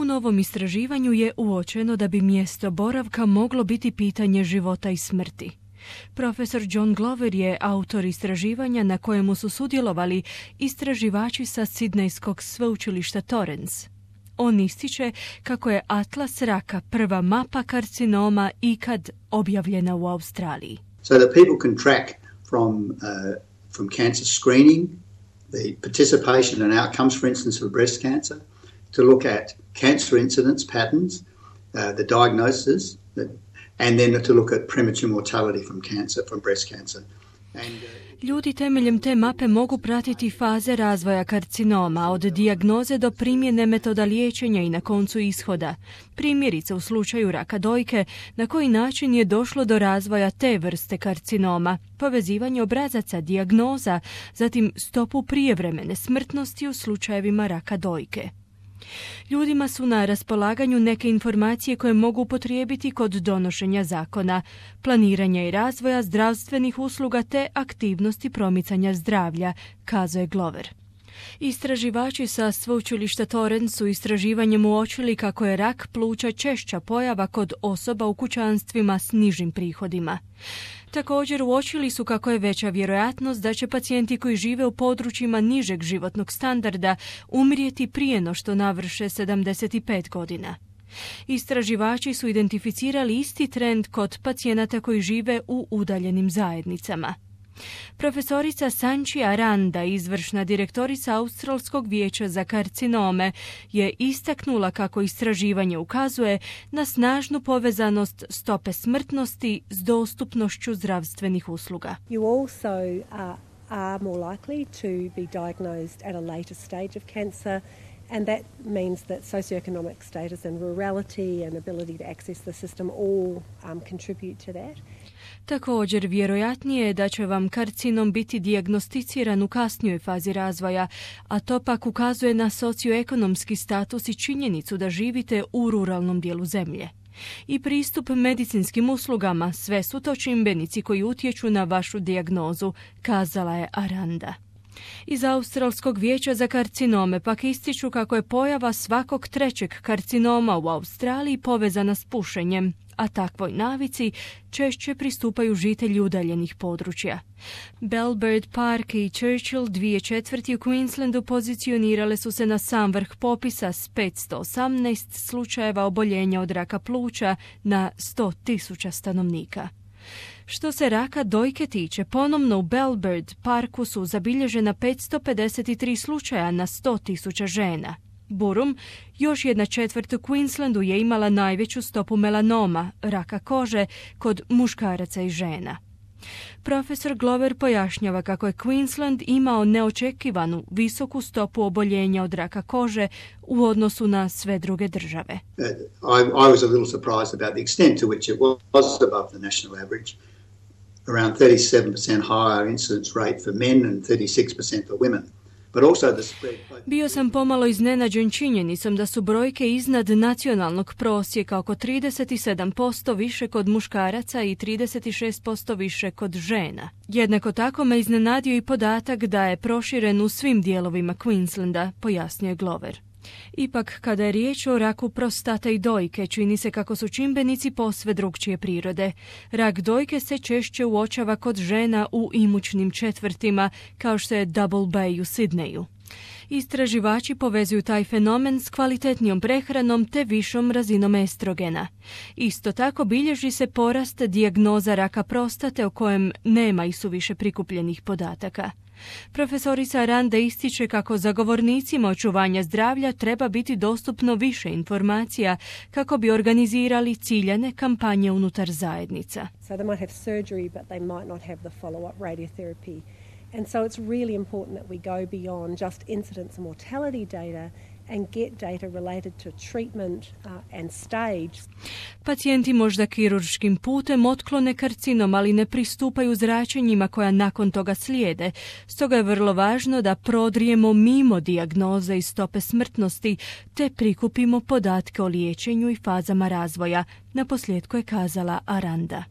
U novom istraživanju je uočeno da bi mjesto boravka moglo biti pitanje života i smrti. Profesor John Glover je autor istraživanja na kojemu su sudjelovali istraživači sa Sidnejskog sveučilišta Torrens. On ističe kako je atlas raka prva mapa karcinoma ikad objavljena u Australiji. So that people can track from cancer screening, the participation and outcomes, for instance, of breast cancer, to look at cancer incidence patterns, the diagnosis, and then to look at premature mortality from breast cancer. Ljudi temeljem te mape mogu pratiti faze razvoja karcinoma, od dijagnoze do primjene metoda liječenja i na koncu ishoda. Primjerice u slučaju raka dojke, na koji način je došlo do razvoja te vrste karcinoma, povezivanje obrazaca, dijagnoza, zatim stopu prijevremene smrtnosti u slučajevima raka dojke. Ljudima su na raspolaganju neke informacije koje mogu upotrijebiti kod donošenja zakona, planiranja i razvoja zdravstvenih usluga te aktivnosti promicanja zdravlja, kazuje Glover. Istraživači sa sveučilišta Torrens su istraživanjem uočili kako je rak pluća češća pojava kod osoba u kućanstvima s nižim prihodima. Također uočili su kako je veća vjerojatnost da će pacijenti koji žive u područjima nižeg životnog standarda umrijeti prije no što navrše 75 godina. Istraživači su identificirali isti trend kod pacijenata koji žive u udaljenim zajednicama. Profesorica Sanchi Aranda, izvršna direktorica Australskog vijeća za karcinome, je istaknula kako istraživanje ukazuje na snažnu povezanost stope smrtnosti s dostupnošću zdravstvenih usluga. You also are more likely to be diagnosed at a later stage of cancer. And that means that socioeconomic status and rurality and ability to access the system all contribute to that. Također, vjerojatnije je da će vam karcinom biti dijagnosticiran u kasnijoj fazi razvoja, a to pak ukazuje na socioekonomski status i činjenicu da živite u ruralnom dijelu zemlje. I pristup medicinskim uslugama, sve su to čimbenici koji utječu na vašu dijagnozu, kazala je Aranda. Iz Australskog vijeća za karcinome pak ističu kako je pojava svakog trećeg karcinoma u Australiji povezana s pušenjem, a takvoj navici češće pristupaju žitelji udaljenih područja. Belbird Park i Churchill, 2/4 u Queenslandu, pozicionirale su se na sam vrh popisa s 518 slučajeva oboljenja od raka pluća na 100.000 stanovnika. Što se raka dojke tiče, ponovno u Belbird Parku su zabilježena 553 slučaja na 100.000 žena. Burum, još 1/4 u Queenslandu, je imala najveću stopu melanoma, raka kože, kod muškaraca i žena. Profesor Glover pojašnjava kako je Queensland imao neočekivanu visoku stopu oboljenja od raka kože u odnosu na sve druge države. I was a little surprised about the extent to which it was above the national average. Around 37% higher incidence rate for men and 36% for women. Bio sam pomalo iznenađen činjenicom da su brojke iznad nacionalnog prosjeka, oko 37% više kod muškaraca i 36% više kod žena. Jednako tako me iznenadio i podatak da je proširen u svim dijelovima Queenslanda, pojasnio Glover. Ipak, kada je riječ o raku prostate i dojke, čini se kako su čimbenici posve drukčije prirode. Rak dojke se češće uočava kod žena u imućnim četvrtima, kao što je Double Bay u Sidneju. Istraživači povezuju taj fenomen s kvalitetnijom prehranom te višom razinom estrogena. Isto tako bilježi se porast dijagnoza raka prostate o kojem nema isuviše prikupljenih podataka. Profesorica Aranda ističe kako zagovornicima očuvanja zdravlja treba biti dostupno više informacija kako bi organizirali ciljane kampanje unutar zajednica. So they might have surgery, but they might not have the follow-up radiotherapy. And so it's really important that we go beyond just incidence and mortality data and get data related to treatment and stage. Pacijenti možda kirurškim putem otklone karcinom, ali ne pristupaju zračenjima koja nakon toga slijede. Stoga je vrlo važno da prodrijemo mimo dijagnoze i stope smrtnosti, te prikupimo podatke o liječenju i fazama razvoja, naposljetku je kazala Aranda.